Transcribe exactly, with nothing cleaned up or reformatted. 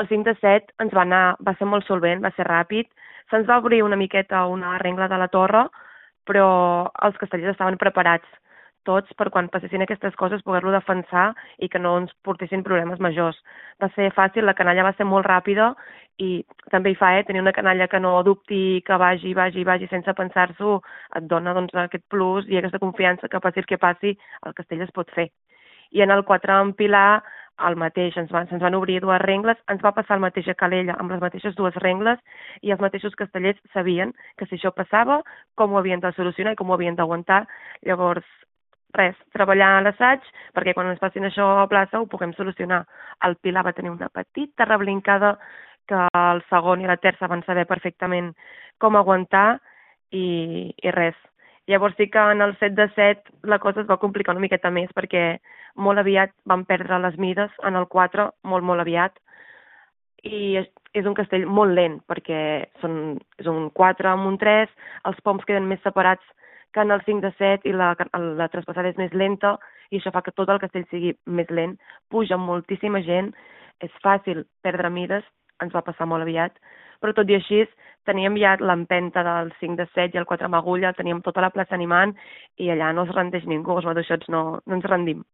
El cinc de set ens va anar, va ser molt solvent, va ser ràpid. Se'ns va obrir una miqueta una rengla de la torre, però els castellers estaven preparats tots per quan passessin aquestes coses poder-lo defensar i que no ens portessin problemes majors. Va ser fàcil, la canalla va ser molt ràpida i també hi fa, eh, tenir una canalla que no dubti, que vagi, vagi, vagi sense pensar-s'ho, et dona doncs, aquest plus i aquesta confiança que passi el que passi, el castell es pot fer. I en el quatre en Pilar, el mateix, ens van, se'ns van obrir dues rengles, ens va passar el mateix a Calella amb les mateixes dues rengles i els mateixos castellers sabien que si això passava, com ho havien de solucionar i com ho havien d'aguantar. Llavors, res, treballar a l'assaig perquè quan ens passin això a plaça ho puguem solucionar. El Pilar va tenir una petita reblincada que el segon i la terça van saber perfectament com aguantar i, i res. Llavors sí que en el set de set la cosa es va complicar una miqueta més perquè molt aviat vam perdre les mides en el quatre, molt, molt aviat, i és, és un castell molt lent perquè són, és un quatre amb un tres, els poms queden més separats que en el cinc de set i la, la traspassada és més lenta i això fa que tot el castell sigui més lent, puja moltíssima gent, és fàcil perdre mides, ens va passar molt aviat, però tot i així teníem ja l'empenta del cinc de set i el quatre amb agulla, teníem tota la plaça animant i allà no es rendeix ningú, els maduixots no, no ens rendim.